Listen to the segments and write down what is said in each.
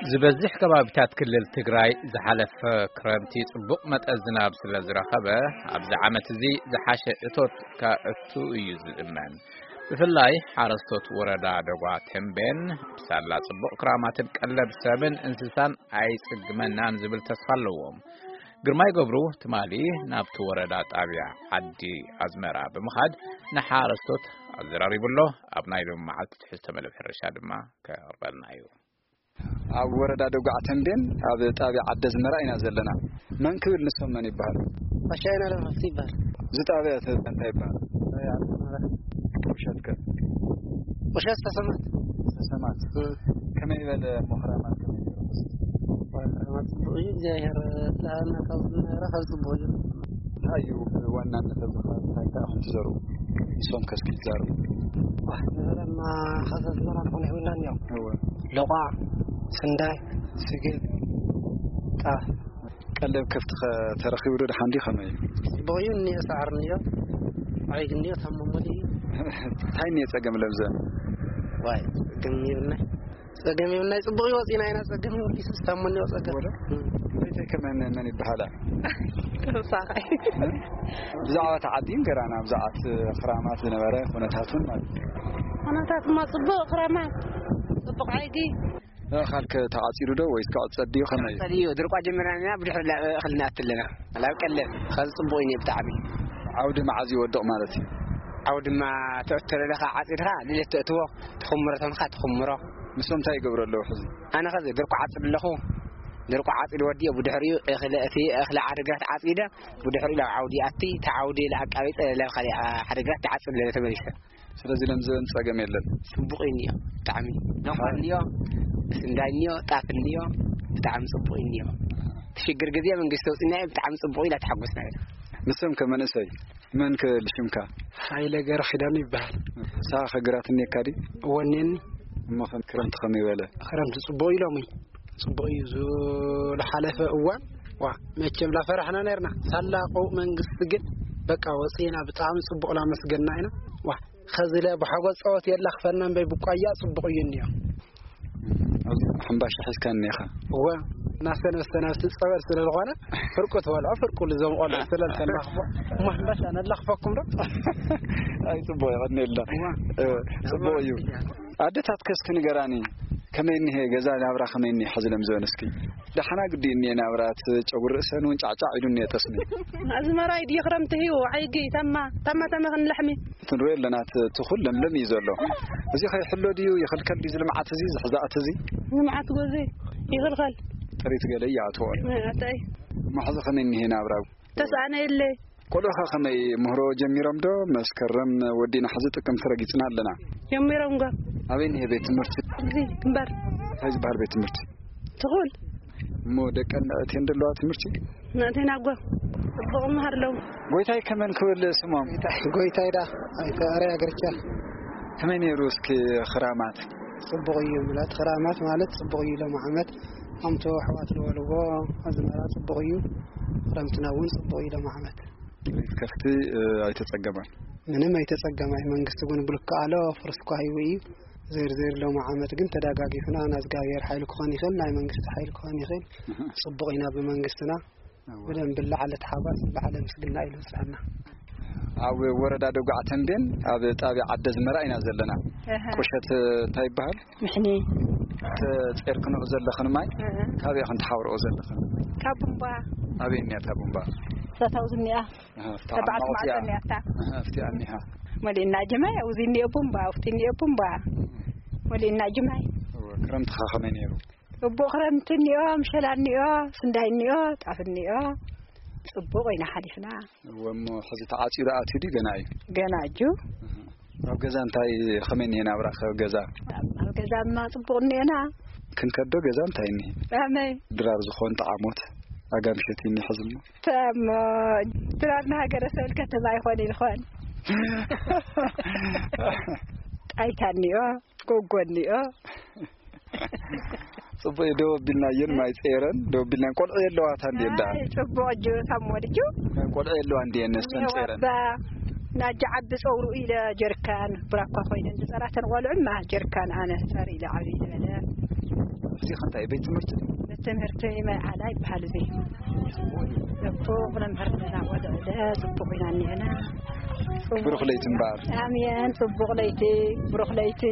ዝበዝሕ ከባቢታት ክልል ትግራይ ዝሓለፈ ክረምቲ ጽቡቕ መጠን ዝናብ ስለ ዝረኸበ፣ ኣብዚ ዓመት እዚ ዝሓሸ እቶት ከእቱ እዩ ዝእመን። ብፍላይ ሓረስቶት ወረዳ ደጓ ተምቤን፣ ብሳላ ጽቡቕ ክራማትን ቀለብ ሰብን እንስሳን ኣይጽግመናን ዝብል ተስፋ ኣለዎም። ግርማይ ገብሩ ትማሊ ናብቲ ወረዳ ጣብያ ዓዲ ኣዝመራ ብምኻድ ንሓረስቶት ኣዘራሪቡ ኣሎ። ኣብ ናይ ሎሚ መዓልቲ ትሕዝቶ መደብ ሕርሻ ድማ ከቕርበልና እዩ። ኣብ ወረዳ ደጉዓ ተምቤን ኣብ ጣብያ ዓዲ ኣዝመራ ኢና ዘለና። መን ክብል ንሶም መን ይበሃል? ኣሻይና ለረፍቲ ይበሃል። እዚ ጣብያ ተ-፣ እንታይ ይበሃል? ጣብያ ዓዲ ኣዝመራ። ቁሸት ከ? ቁሸት ሰሰማት። ሰሰማት። እ። ከመይ በለ ሞኽራማት ከመይ ነይሩ? ሞኽራማት ጽቡቕ እዩ። እግዚኣብሔር ጥዕና ካብ ዝነበረ ካብ ጽቡቕ እዩ። እንታይ እዩ ዋናነት ኣብዚ ከባቢ እንታይ እንታይ ኢኹም ትዘርኡ? ንሶም ከ እስኪ ይዛረቡ። ዋህ፣ ንበለማ ኸሰስ መራ ንኾነ ይብልና እኒኦ። እወ። ሎቋ፣ ስንዳይ፣ ስገም፣ ጣፍ። ቀለብ ከፍቲ ኸ ተረኺቡ ዶ ደሓን ድዩ ከመይ እዩ? ጽቡቕ እዩ እኒኦ፣ ሳዕሪ እኒኦ፣ ዓይግ እኒኦ፣ ታመሙሉ እዩ። እንታይ እኒኦ ጸገም ለምዘን? ዋይ፣ ጸገም ይብልና። ጸገም ይብልና፣ ጽቡቕ እዩ ወጺና ኢና፣ ጸገም ይብሉ፣ ይስታሙኒ ጸገም። ወለ? እም። እንታይ ከመን መን ይበሃላ? ተወሳኻይ። ብዛዕባ እቲ ዓዲ ንገራና፣ ብዛዕባ እቲ ክራማት ዝነበረ ኩነታቱን ማለት እዩ። ኩነታትማ ጽቡቕ ክራማት፣ ጽቡቕ ዓይጊ። እኽልከ ተዓጺዱ ዶ ወይስ ክዕጸድ ድዩ? ከመይ እዩ? ተዓጸድ እዩ። ድርቋ ጀሚርና ኢና፣ ብድሕሪ ላ-፣ እኽሊ ንኣቲ ኣለና። ላብ ቀለብ፣ ኸዚ ጽቡቕ እዩ ብጣዕሚ። ዓውዲ መዓዝ ይወድቕ ማለት እዩ? ዓውዲ ድማ ትእቶ ለለኻ ዓጺድኻ፣ ልደት ተእትዎ፣ ትኹምሮ ተምኻ ትኹምሮ። ንሶም እንታይ ይገብሩ ኣለዉ ሕዚ? ኣነ ኸዚ ድርቋ ዓጽድ ኣለኹ። ድርቋ ዓጺድ ወዲኦ፣ ብድሕሪኡ እኽሊ፣ እቲ እኽሊ ዓድግራት ዓጺደ፣ ብድሕሪኡ ላብ ዓውዲ ኣቲ፣ ተዓውዲ ለኣቃቢጸ፣ ላብ ኻሊእ ዓድግራት ተዓጽድ ለለ ተመሊሰ። ስለዚ ለምዘን ጸገም የለን። ጽቡቕ እዩ እኒኦ፣ ብጣዕሚ። ሎቋ እኒኦ፣ ስንዳይ እኒኦ፣ ጣፍ እኒኦ፣ ብጣዕሚ ጽቡቕ እዩ እኒኦ። እቲ ሽግር ግዜ መንግስቲ ተውጽና እዩ፣ ብጣዕሚ ጽቡቕ ኢላ ተሓጎስና ኢና። ንስም ከ መንእሰይ፣ መን ከ ልሽምካ? ሃይለ ገረ ኪዳኑ ይበሃል። ንስኻ ከ ግራት እኒኤካ ድዩ? ወኔኒ። እሞ ከም ክረምቲ ከመይ በለ? ክረምቲ ጽቡቕ እዩ ሎሚ። ጽቡቕ እዩ። ዝሓለፈ እዋን፣ ዋ፣ መቸም ላፈራሕና ነርና። ሳላ ቀውእ መንግስቲ ግን፣ በቃ፣ ወጺና ብጣዕሚ ጽቡቕ ላመስገንና ኢና። ዋ፣ ኸዚ ለ ብሓጎስ ጸወት የላኽፈና እምበይ ብቋያ ጽቡቕ እዩ እኒኦ። ኣብዚ ሕምባሻ ሒዝካ እኒኻ? እወ፣ እናሰነስተና ኣብቲ ጸበል ስለ ዝኾነ፣ ፍርቁ ትበልዖ፣ ፍርቁ ልዞም ቆልዑ ስለ ዝተላኽፎ፣ እሞ ሕምባሻ ነላኽፈኩም ዶ? ኣይ፣ ጽቡቕ የቐንየልና። እወ። እ፣ ጽቡቕ እዩ። ኣደታት ከ እስኪ ንገራኒ፣ ከመይ እኒሄ ገዛ ናብራ ከመይ እኒሄ ሕዚ ለምዘን እስኪ? ደሓና ግዲ እኒሄ ናብራ፣ እቲ ጨጉሪ ርእሰን እውን ጫዕጫዕ ኢሉ እኒሄ ጠስሚ። ኣዝመራ እዩ ድዩ ክረምቲ ህዩ፣ ዓይጊ፣ ታማ፣ ታማ፣ ታማ ክንለሕሚ። ክንሪኦ ኣለና፣ እቲ፣ እቲ ኩሉ ለምለም እዩ ዘሎ። እዚ ከይሕሎ ድዩ፣ ይኽልከል ድዩ፣ እዚ ልምዓት እዚ፣ እዚ ሕዛእቲ እዚ? ልምዓት ጎዜ ይኽልከል። ጥሪት ገለ ይኣትዎ። ኣታይ። እሞ ሕዚ ከመይ እኒሄ ናብራ? ተስኣነ የለ። ቆልዑኻ ከመይ ምህሮ ጀሚሮም ዶ? መስከረም ወዲና ሕዚ ጥቅምቲ ረጊጽና ኣለና። ጀሚሮም ጓ። ኣበይ እኒሄ ቤት ትምህርቲ? ኣብዚ ግንባር። እንታይ ዝበሃል ቤት ትምህርቲ? ትኹል። እሞ ደቀን ኣእትየን ደለዋ ትምህርቲ? ናእተን ኣጓ። ጽቡቕ መሃር ኣለዉ። ጎይታይ ከመን ክብል ስሞም? ጎይታይ ዳ፣ ኣይተ ኣርያ ገርቻ። ከመይ ነይሩ እስኪ ክራማት? ጽቡቕ እዩ ምላት፣ ክራማት ማለት ጽቡቕ እዩ ሎም ዓመት። ከምቲ ኣሕዋት ዝበልዎ ኣዝመራ ጽቡቕ እዩ። ክረምትና እውን ጽቡቕ እዩ ሎም ዓመት። ጥሪት ከፍቲ፣ እ፣ ኣይተጸገማን? ምንም ኣይተጸገማይ። መንግስቲ እውን ብልክዕ ኣሎ፣ ፍርስኳ ሂቡ እዩ። ዘይር ዘይር ሎም ዓመት ግን ተዳጋጊፍና፣ ናዝጋብሔር ሓይሊ ክኾን ይኽእል፣ ናይ መንግስቲ ሓይሊ ክኾን ይኽእል። እህ። ጽቡቕ ኢና ብመንግስትና። እወ። ብደንብ ለዓለ ተሓጓስ፣ ለዓለ ምስግና ኢሉ ዝጸና። ኣብ ወረዳ ደጉዓ ተምቤን፣ ኣብ ጣብያ ዓዲ ኣዝመራ ኢና ዘለና። እህ። ቁሸት እንታይ ይበሃል? ምሕኒ። ተጼርክንኦ ዘለኽን ማይ፣ እህ። ካበይ ኢኽን ትሓብርኦ ዘለኽን? ካብ ቡምባ። ኣበይ እኒኣ እታ ቡምባ? እታ ታውዚ እኒኣ። እህ፣ እታ ተባዕት ዓማቑ እቲኣ። ማዕጾ እኒኣ እታ። እህ፣ እቲኣ እኒሃ። መሊእና ጅማይ፣ ኣብዚ እኒኦ ቡምባ፣ ኣብቲ እኒኦ ቡምባ። መሊእና ጅማይ። እወ፣ ክረምትኻ ከመይ ነይሩ? እቦ ክረምቲ እኒኦ፣ ምሸላ እኒኦ፣ ስንዳይ እኒኦ፣ ጣፍ እኒኦ። ጽቡቕ ኢና ሓሊፍና። እወ፣ እሞ ሕዚ ተዓጺዱ ኣትዩ ድዩ ገና እዩ? ገና እዩ። እህ። ኣብ ገዛ እንታይ ከመይ እኒሄ ናብራ ከ ኣብ ገዛ? ኣብ ገዛማ ጽቡቕ እኒኤና። ክንከዶ ገዛ እንታይ እኒሄ? ኣመይ። ድራር ዝኾን ጠዓሞት ኣጋምሸት እኒሄ ሕዚ እሞ? ተሞ ድራር ንሃገረ ሰብል ከተማ ይኾን ይኾን? ጣይታ እኒኦ፣ ጎጎ እኒኦ። ጽቡቕ እዩ፣ ደው ኣቢልናየን፣ ማይ ጸይረን ደው ኣቢልናየን። ቆልዑ የለዋታ እንድየን ደኣ? ኣይ፣ ጽቡቕ፣ እጁ ሳብ ሞድጁ። ቆልዑ የለዋ እንድየን፣ ነስተን ጸይረን? እባ ናጃ ዓቢ ጸውሩ ኢለ ጀርካን ብራኳ ኮይነን ዝጸራተን ቆልዑ፣ እማ ጀርካን ኣነ ጸር ኢለ ዓቢ ዝበለ። እዚ ከንታይ ቤት ትምህርቲ? ቤት ትምህርቲ መርዓላ ይበሃል እዚ። ጽቡቕ መምህር ኢና፣ ቆልዑ ለ ጽቡቕ ኢና እኒአና። ጽቡቕ። ብሩኽ ለይቲ እምበኣር። ኣሜን። ጽቡቕ ለይቲ፣ ብሩኽ ለይቲ።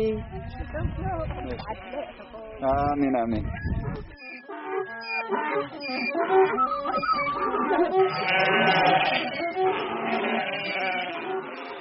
ኣሜን፣ ኣሜን።